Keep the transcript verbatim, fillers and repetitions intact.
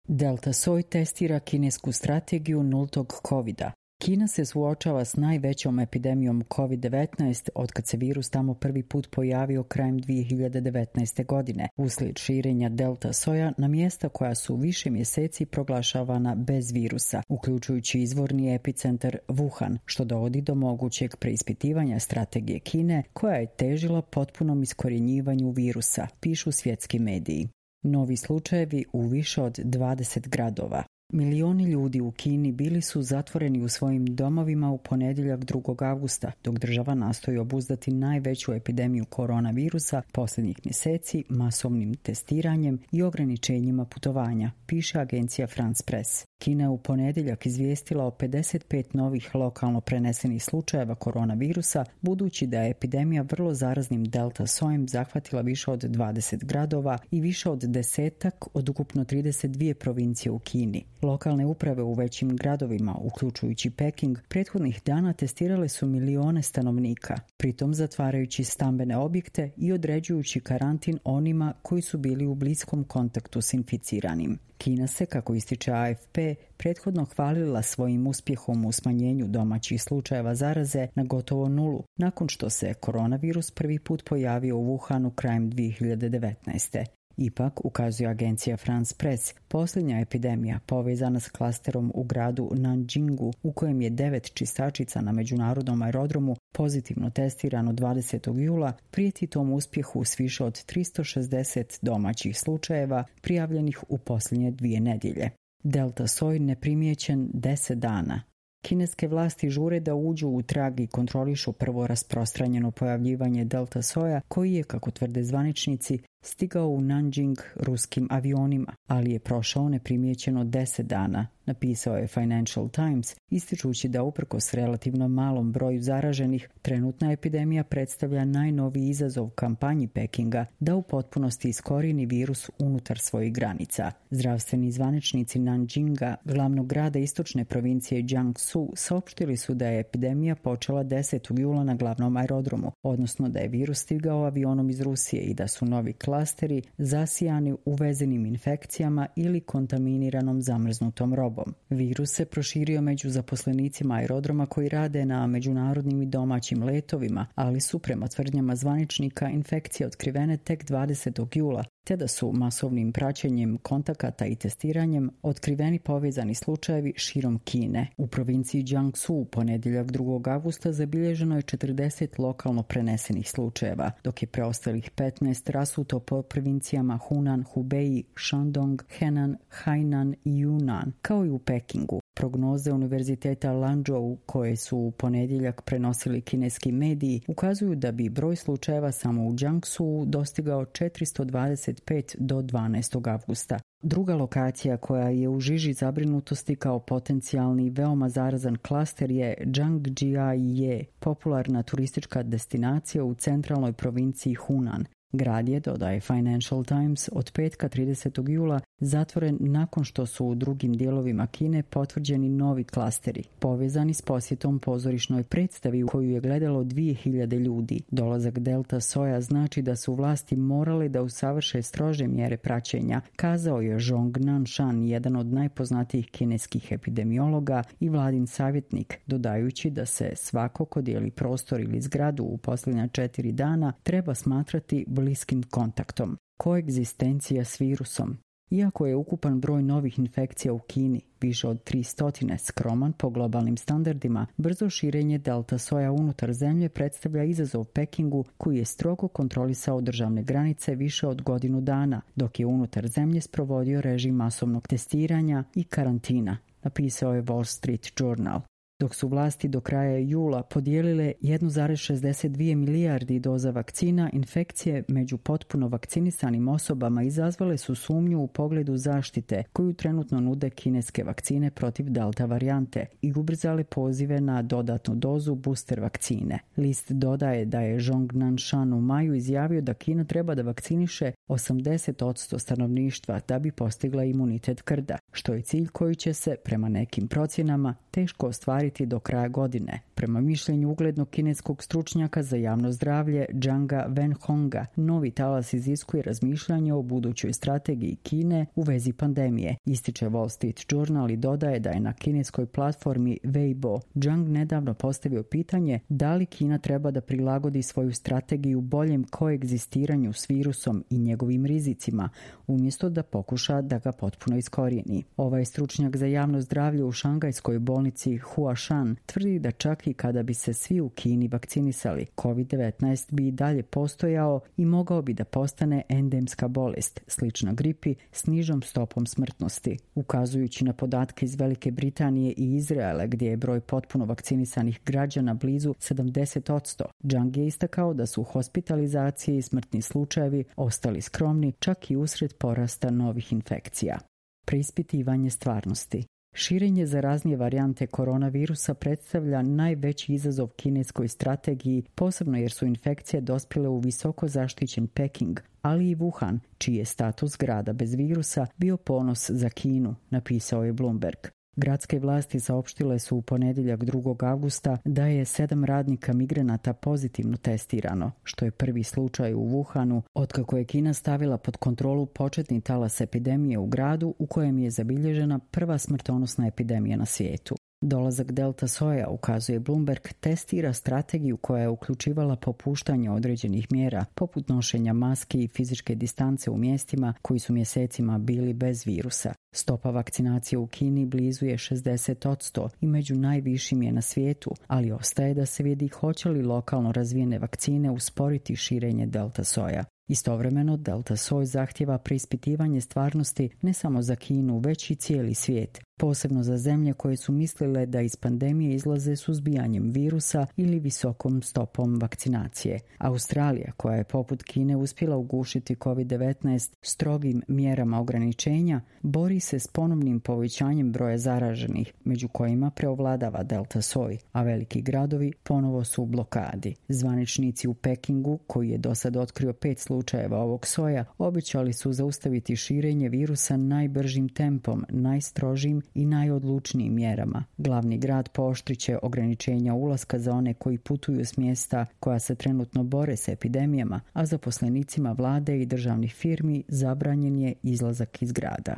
Delta soj testira kinesku strategiju nultog covida. Kina se suočava s najvećom epidemijom kovid devetnaest otkad se virus tamo prvi put pojavio krajem dvije hiljade devetnaeste. godine, uslijed širenja delta soja na mjesta koja su više mjeseci proglašavana bez virusa, uključujući izvorni epicentar Wuhan, što dovodi do mogućeg preispitivanja strategije Kine koja je težila potpunom iskorjenjivanju virusa, pišu svjetski mediji. Novi slučajevi u više od dvadeset gradova. Milioni ljudi u Kini bili su zatvoreni u svojim domovima u ponedjeljak drugog avgusta, dok država nastoji obuzdati najveću epidemiju koronavirusa posljednjih mjeseci masovnim testiranjem i ograničenjima putovanja, piše agencija France Press. Kina je u ponedjeljak izvijestila o pedeset pet novih lokalno prenesenih slučajeva koronavirusa, budući da je epidemija vrlo zaraznim delta sojem zahvatila više od dvadeset gradova i više od desetak od ukupno trideset dvije provincije u Kini. Lokalne uprave u većim gradovima, uključujući Peking, prethodnih dana testirale su milione stanovnika, pritom zatvarajući stambene objekte i određujući karantin onima koji su bili u bliskom kontaktu s inficiranim. Kina se, kako ističe A F P, prethodno hvalila svojim uspjehom u smanjenju domaćih slučajeva zaraze na gotovo nulu, nakon što se koronavirus prvi put pojavio u Wuhanu krajem dvije hiljade devetnaeste. Ipak, ukazuje agencija France Press, posljednja epidemija povezana s klasterom u gradu Nanjingu, u kojem je devet čistačica na međunarodnom aerodromu pozitivno testirano dvadesetog jula, prijeti tom uspjehu s više od tristo šezdeset domaćih slučajeva prijavljenih u posljednje dvije nedjelje. Delta soj neprimjećen deset dana. Kineske vlasti žure da uđu u trag i kontrolišu prvo rasprostranjeno pojavljivanje delta soja, koji je, kako tvrde zvaničnici, stigao u Nanjing ruskim avionima, ali je prošao neprimjećeno deset dana, napisao je Financial Times, ističući da uprkos relativno malom broju zaraženih, trenutna epidemija predstavlja najnoviji izazov kampanji Pekinga da u potpunosti iskorijeni virus unutar svojih granica. Zdravstveni zvaničnici Nanjinga, glavnog grada istočne provincije Jiangsu, saopštili su da je epidemija počela desetog jula na glavnom aerodromu, odnosno da je virus stigao avionom iz Rusije i da su novi klasteri zasijani uvezenim infekcijama ili kontaminiranom zamrznutom robom. Virus se proširio među zaposlenicima aerodroma koji rade na međunarodnim i domaćim letovima, ali su prema tvrdnjama zvaničnika infekcije otkrivene tek dvadesetog jula, te da su masovnim praćenjem kontakata i testiranjem otkriveni povezani slučajevi širom Kine. U provinciji Jiangsu u ponedjeljak drugog avgusta zabilježeno je četrdeset lokalno prenesenih slučajeva, dok je preostalih petnaest rasuto po provincijama Hunan, Hubei, Shandong, Henan, Hainan i Yunnan, kao i u Pekingu. Prognoze Univerziteta Lanzhou, koje su u ponedjeljak prenosili kineski mediji, ukazuju da bi broj slučajeva samo u Jiangsu dostigao četiristo dvadeset pet do dvanaestog avgusta. Druga lokacija koja je u žiži zabrinutosti kao potencijalni veoma zarazan klaster je Zhangjiajie, popularna turistička destinacija u centralnoj provinciji Hunan. Grad je, dodaje Financial Times, od petka tridesetog jula zatvoren nakon što su u drugim dijelovima Kine potvrđeni novi klasteri, povezani s posjetom pozorišnoj predstavi u koju je gledalo dvije hiljade ljudi. Dolazak delta soja znači da su vlasti morale da usavrše strože mjere praćenja, kazao je Zhong Nanshan, jedan od najpoznatijih kineskih epidemiologa i vladin savjetnik, dodajući da se svako ko dijeli prostor ili zgradu u posljednja četiri dana treba smatrati bliskim kontaktom. Koegzistencija s virusom. Iako je ukupan broj novih infekcija u Kini više od tristo skroman po globalnim standardima, brzo širenje delta soja unutar zemlje predstavlja izazov Pekingu, koji je strogo kontrolisao državne granice više od godinu dana, dok je unutar zemlje sprovodio režim masovnog testiranja i karantina, napisao je Wall Street Journal. Dok su vlasti do kraja jula podijelile jedan zarez šezdeset dvije milijardi doza vakcina, infekcije među potpuno vakcinisanim osobama izazvale su sumnju u pogledu zaštite koju trenutno nude kineske vakcine protiv delta varijante i ubrzale pozive na dodatnu dozu booster vakcine. List dodaje da je Zhong Nanshan u maju izjavio da Kina treba da vakciniše osamdeset posto stanovništva da bi postigla imunitet krda, što je cilj koji će se, prema nekim procjenama, teško ostvariti do kraja godine. Prema mišljenju uglednog kineskog stručnjaka za javno zdravlje Zhanga Wenhonga, novi talas iziskuje razmišljanje o budućoj strategiji Kine u vezi pandemije. Ističe Wall Street Journal i dodaje da je na kineskoj platformi Weibo Zhang nedavno postavio pitanje da li Kina treba da prilagodi svoju strategiju boljem koegzistiranju s virusom i njegovim rizicima, umjesto da pokuša da ga potpuno iskorijeni. Ovaj stručnjak za javno zdravlje u šangajskoj bolnici Huashan tvrdi da čak i kada bi se svi u Kini vakcinisali, kovid devetnaest bi i dalje postojao i mogao bi da postane endemska bolest, slična gripi s nižom stopom smrtnosti. Ukazujući na podatke iz Velike Britanije i Izraela, gdje je broj potpuno vakcinisanih građana blizu sedamdeset posto, Zhang je istakao da su hospitalizacije i smrtni slučajevi ostali skromni čak i usred porasta novih infekcija. Preispitivanje stvarnosti. Širenje zaraznije varijante koronavirusa predstavlja najveći izazov kineskoj strategiji, posebno jer su infekcije dospjele u visoko zaštićen Peking, ali i Wuhan, čiji je status grada bez virusa bio ponos za Kinu, napisao je Bloomberg. Gradske vlasti saopštile su u ponedjeljak drugog avgusta da je sedam radnika migranata pozitivno testirano, što je prvi slučaj u Wuhanu otkako je Kina stavila pod kontrolu početni talas epidemije u gradu u kojem je zabilježena prva smrtonosna epidemija na svijetu. Dolazak delta soja, ukazuje Bloomberg, testira strategiju koja je uključivala popuštanje određenih mjera, poput nošenja maski i fizičke distance u mjestima koji su mjesecima bili bez virusa. Stopa vakcinacije u Kini blizu je šezdeset posto i među najvišim je na svijetu, ali ostaje da se vidi hoće li lokalno razvijene vakcine usporiti širenje delta soja. Istovremeno, delta soj zahtjeva preispitivanje stvarnosti ne samo za Kinu, već i cijeli svijet, posebno za zemlje koje su mislile da iz pandemije izlaze suzbijanjem virusa ili visokom stopom vakcinacije. Australija, koja je poput Kine uspjela ugušiti kovid devetnaest strogim mjerama ograničenja, bori se s ponovnim povećanjem broja zaraženih, među kojima preovladava delta soj, a veliki gradovi ponovo su u blokadi. Zvaničnici u Pekingu, koji je do sad otkrio pet slučajeva ovog soja, obećali su zaustaviti širenje virusa najbržim tempom, najstrožim i najodlučnijim mjerama. Glavni grad pooštriće ograničenja ulaska za one koji putuju s mjesta koja se trenutno bore s epidemijama, a zaposlenicima vlade i državnih firmi zabranjen je izlazak iz grada.